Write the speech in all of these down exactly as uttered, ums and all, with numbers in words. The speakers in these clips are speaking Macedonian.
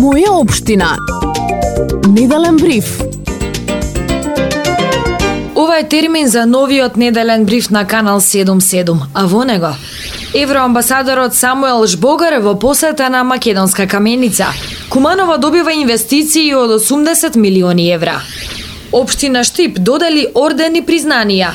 Моја општина. Неделен бриф. Ова е термин за новиот неделен бриф на Канал седум седум, а во него евроамбасадорот Самуел Жбогар во посета на Македонска каменица. Куманово добива инвестиции од осумдесет милиони евра. Општина Штип додели ордени признанија.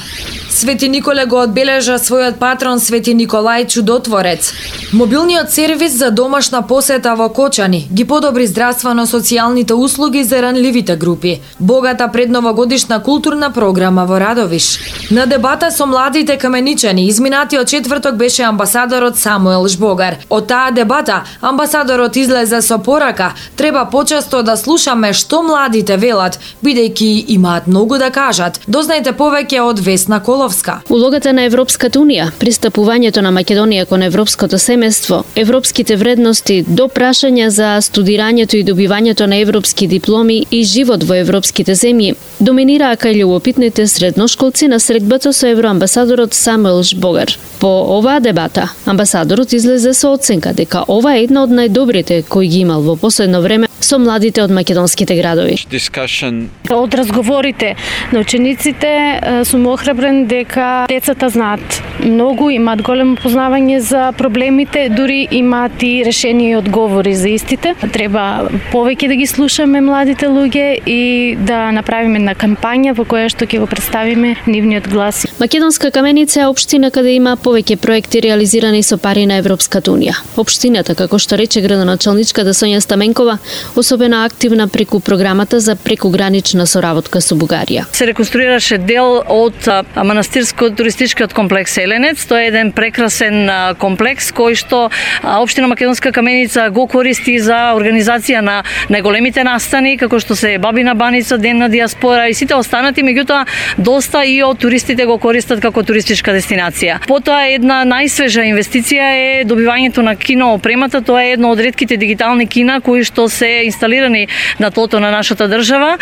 Свети Николе го одбележа својот патрон Свети Николај Чудотворец. Мобилниот сервис за домашна посета во Кочани ги подобри здравствено-социјалните услуги за ранливите групи. Богата предновогодишна културна програма во Радовиш. На дебата со младите каменичани изминатиот четврток беше амбасадорот Самуел Жбогар. Од таа дебата амбасадорот излезе со порака: треба почесто да слушаме што младите велат, бидејќи имаат многу да кажат. Дознајте повеќе од Весна Коловска. Улогата на Европската унија, пристапувањето на Македонија кон европското семејство, европските вредности до прашања за студирањето и добивањето на европски дипломи и живот во европските земји доминираа кај љубопитните средношколци на средбата со евроамбасадорот Самуел Жбогар. По оваа дебата, амбасадорот излезе со оценка дека ова е една од најдобрите кои ги имал во последно време со младите од македонските градови. Discussion. Од разговорите на учениците сум охрабрен дека децата знаат многу, имаат големо познавање за проблемите, дури имаат и решени и одговори за истите. Треба повеќе да ги слушаме младите луѓе и да направиме една кампања во која што ќе го представиме нивниот глас. Македонска каменица е општина каде има повеќе проекти реализирани со пари на Европската унија. Општината, како што рече градоначалничката Сонја Стаменкова, особено активна преку програмата за прекугранична соработка со Бугарија. Се реконструираше дел од манастирско-туристичкиот комплекс Еленец. Тоа е еден прекрасен комплекс кој што општина Македонска каменица го користи за организација на најголемите настани, како што се Бабина баница, Ден на диаспора и сите останати, меѓутоа доста и од туристите го користат како туристичка дестинација. Потоа една најсвежа инвестиција е добивањето на кино опремата. Тоа е едно од ретките дигитални кина кои што се инсталирани на тлото на нашата држава.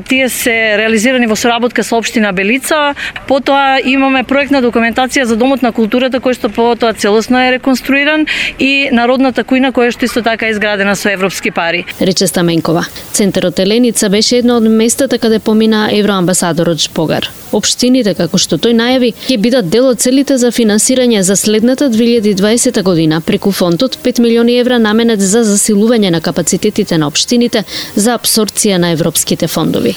Тие се реализирани во соработка со општина Белица. Потоа имаме проектна документација за домот на културата кој што потоа целосно е реконструиран и народната кујна која што исто така е изградена со европски пари. Рече Стаменкова. Центарот Еленица беше едно од местата каде помина евроамбасадорот Жбогар. Општините, како што тој најави, ќе бидат дел од целите за финансирање за следната две илјади и дваесета година преку фондот пет милиони евра наменет за засилување на капацитетите на општините за апсорбција на европските фондови.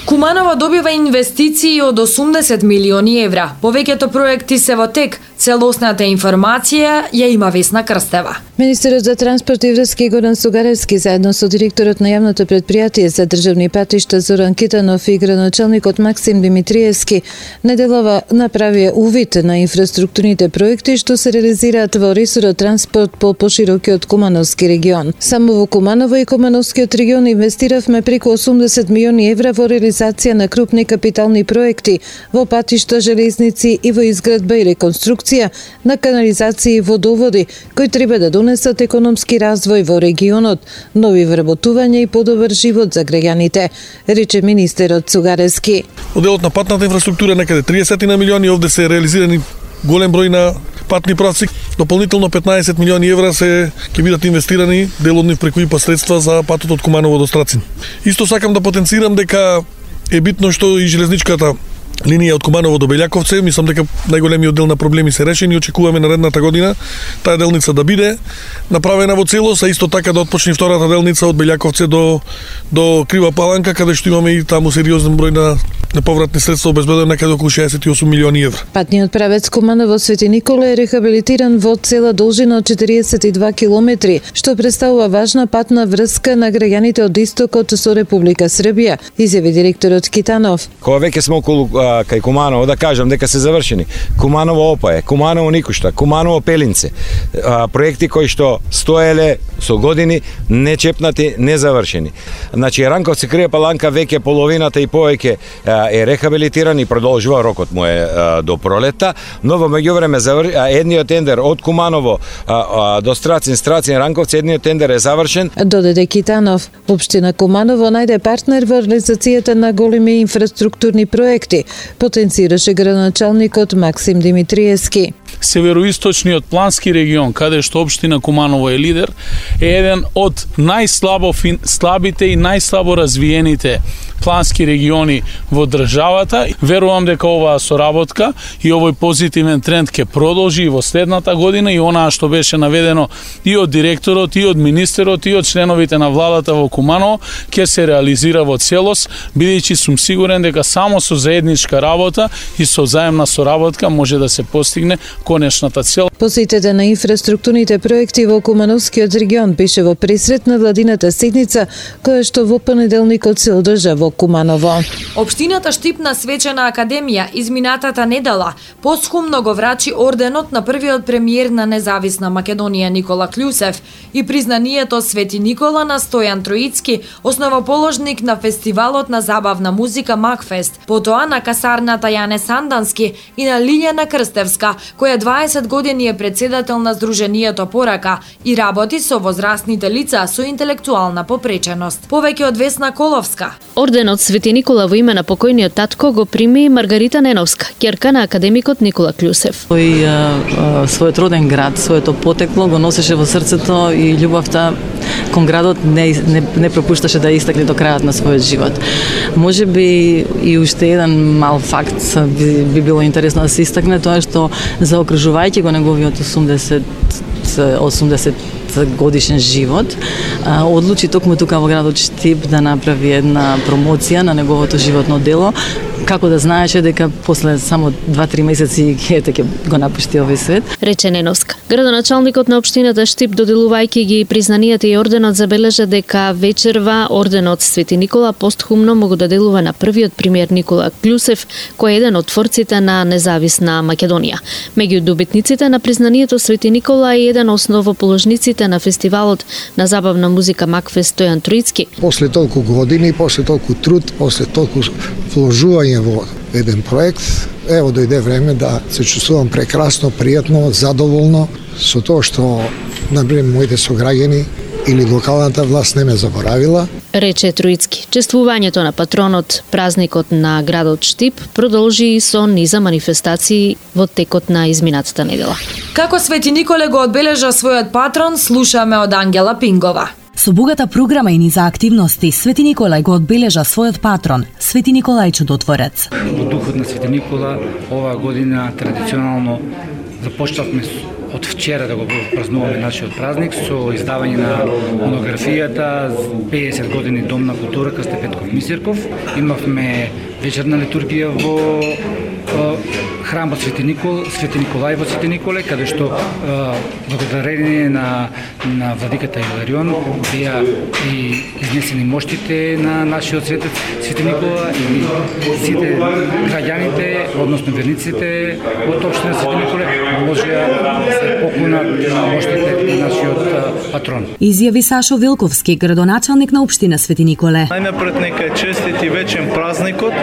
Куманово добива инвестиции од осумдесет милиони евра. Повеќето проекти се во тек. Целосната информација ја има Весна Крстева. Министерот за транспорт и врски Горан Сугаревски заедно со директорот на јавното претпријатие за државни патишта Зоран Китанов и градоначалникот Максим Димитриевски неделова направија увид на инфраструктурните проекти што се реализираат во ресорот транспорт по поширокиот Кумановски регион. Само во Куманово и Кумановскиот регион инвестиравме преку осумдесет милиони евра во реализација на крупни капитални проекти во патишта, железници и во изградба и реконструкција на канализации и водоводи кои треба да донесат економски развој во регионот, нови вработувања и подобар живот за граѓаните, рече министерот Сугаревски. Од делот на патната инфраструктура некаде триесет на милиони, овде се реализирани голем број на патни правци. Дополнително петнаесет милиони евра се ќе бидат инвестирани, дел од нив преку ИПА средства за патот од Куманово до Страцин. Исто сакам да потенцирам дека е битно што и железничката линија од Куманово до Белјаковце, мислам дека најголемиот дел на проблеми се решени и очекуваме наредната година таа делница да биде направена во целост, а исто така да отпочне втората делница од Белјаковце до до Крива Паланка, каде што имаме и таму сериозен број на неповратни средства обезбедено некаде околу шеесет и осум милиони евра. Патниот правец Куманово Свети Николе е рехабилитиран во цела должина од четириесет и два километри, што представува важна патна врска на граѓаните од истокот со Република Србија, изјави директорот Китанов. Кога веќе сме околу кај Куманово, да кажам дека се завршени. Куманово Опаје, Куманово Никушта, Куманово Пелинце. Проекти кои што стоеле со години, нечепнати, незавршени. Значи, Ранковци Крија Паланка веќе половината и повеќе е рехабилитиран и продолжува, рокот му е до пролета, но во меѓувреме едниот тендер од Куманово до Страцин, Страцин, Ранковци, едниот тендер е завршен. Додаде Китанов, општина Куманово најде партнер во реализацијата на големи инфраструктурни проекти, потенцираше градоначалникот Максим Димитриевски. Североисточниот плански регион, каде што општина Куманово е лидер, е еден од најслабо слабите и најслабо развиените плански региони во државата. Верувам дека оваа соработка и овој позитивен тренд ќе продолжи и во следната година и онаа што беше наведено и од директорот, и од министерот, и од членовите на владата во Куманово ќе се реализира во целост, бидејќи сум сигурен дека само со заедничка работа и со заемна соработка може да се постигне конечната цел. Посетите на инфраструктурните проекти во Кумановскиот регион беше во пресрет на владината седница, која што во понеделникот се одржа во Куманово. Општината Штип на Свечена академија изминатата недела посхумно го врачи орденот на првиот премиер на независна Македонија Никола Клюсев и признанието Свети Никола на Стојан Троицки, основоположник на фестивалот на забавна музика Макфест, потоа на касарната Јане Сандански и на Лиљана Крстевска, која дваесет години е председател на Сдруженијето Порака и работи со возрастните лица со интелектуална попреченост. Повеќе од Весна Коловска. Орденот Свети Никола во име на покојниот татко го прими Маргарита Неновска, ќерка на академикот Никола Клюсев. Тој својот роден град, своето потекло го носеше во срцето и љубовта кон градот не, не, не пропушташе да истакне до крајот на својот живот. Може би и уште еден мал факт би, би било интересно да се истакне, тоа што заокружувајќи го неговиот осумдесет осумдесет годишен живот, одлучи токму тука во градот Штип да направи една промоција на неговото животно дело, како да знаеше дека после само два-три месеци ете ќе го напушти овој свет. Рече Неновска. Градоначалникот на општината Штип, доделувајќи ги признанијата и орденот, забележа дека вечерва орденот Свети Никола постхумно могу да делува на првиот премиер Никола Клюсев, кој е еден од творците на независна Македонија. Меѓу добитниците на признанието Свети Никола е еден основоположниците на фестивалот на забавна музика Макфест Стојан Троицки. После толку години, после толку труд, после толку вложување во еден проект, ево дојде време да се чувствувам прекрасно, пријатно, задоволно со тоа што, например, моите сограѓани или локалната власт не ме заборавила. Рече Троицки. Чествувањето на патронот, празникот на градот Штип, продолжи и со низа манифестации во текот на изминатата недела. Како Свети Николе го одбележа својот патрон, слушаме од Ангела Пингова. Со богата програма и низа активности, Свети Николај го одбележа својот патрон, Свети Николај Чудотворец. Во духот на Свети Никола, оваа година традиционално започнавме од вчера да го празнуваме нашиот празник со издавање на монографијата педесет години Дом на културата Степенков Мисирков. Имавме вечерна литургија во храмот Свети Никол, Свети Николај во Свети Николе, каде што благодарение на на владиката Иларион беа и изнесени моштите на нашиот светец Свети Никола и сите граѓаните, односно верниците од општина Свети Николе можеа да се поклонат на моштите на нашиот патрон. Изјави Сашо Вилковски, градоначалник на општина Свети Николе. Најнапред нека е честит и вечен празникот.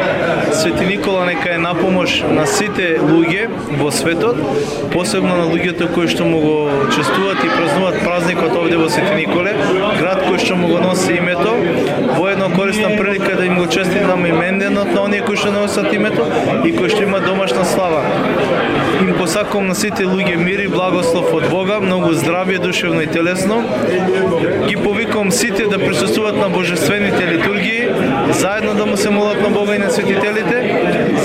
Свети Никола нека е на помош на сите луѓе во светот, посебно на луѓето кои што му го чествуваат и празнуваат празникот овде во Свети Николе, град кој што му го носи името. Воедно користам прилика да им го честитам именденот на оние кои што носат името и кои што имаат домашна слава. Им посакувам на сите луѓе мир и благослов од Бога, многу здравје душевно и телесно. Ги повикувам сите да присуствуваат на божествените литургии, заедно да му се молат на Бога и на светителите,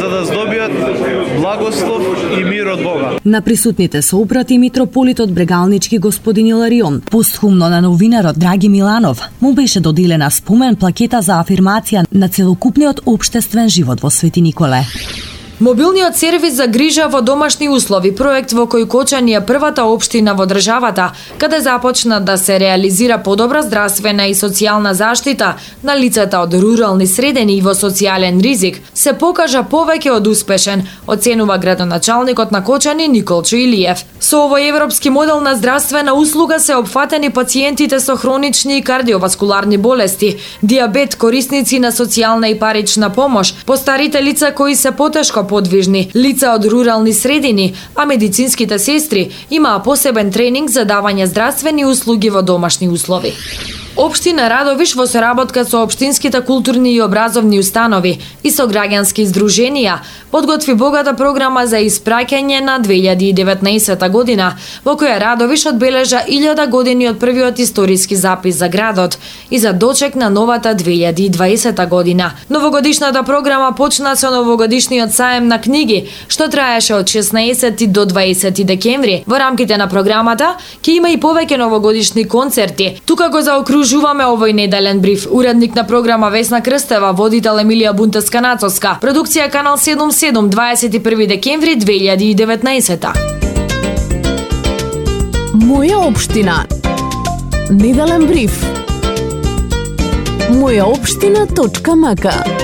за да здобијат благослов и мир од Бога. На присутните се опрати митрополитот Брегалнички господин Иларион. Постхумно на новинарот Драги Миланов му беше доделена спомен плакета за афирмација на целокупниот општествен живот во Свети Николе. Мобилниот сервис за грижа во домашни услови, проект во кој Кочани е првата општина во државата, каде започна да се реализира подобра здравствена и социјална заштита на лицата од рурални средини и во социјален ризик, се покажа повеќе од успешен, оценува градоначалникот на Кочани Николчо Илиев. Со овој европски модел на здравствена услуга се опфатени пациентите со хронични и кардиоваскуларни болести, диабет, корисници на социјална и парична помош, постарите лица кои се потешко подвижни, лица од рурални средини, а медицинските сестри имаа посебен тренинг за давање здравствени услуги во домашни услови. Општина Радовиш во соработка со општинските културни и образовни установи и со граѓански здруженија подготви богата програма за испраќање на две илјади и деветнаесета година, во која Радовиш одбележа илјада години од првиот историски запис за градот и за дочек на новата две илјади и дваесета година. Новогодишната програма почна со новогодишниот саем на книги, што траеше од шеснаесети до дваесети декември. Во рамките на програмата ќе има и повеќе новогодишни концерти. Тука го заокружуваме овој неделен бриф. Уредник на програма Весна Крстева, водител Емилија Бунтеска-Нацовска. Продукција Канал седум седум, дваесет и први декември две илјади и деветнаесета. Моја општина. Неделен бриф. моја општина точка м к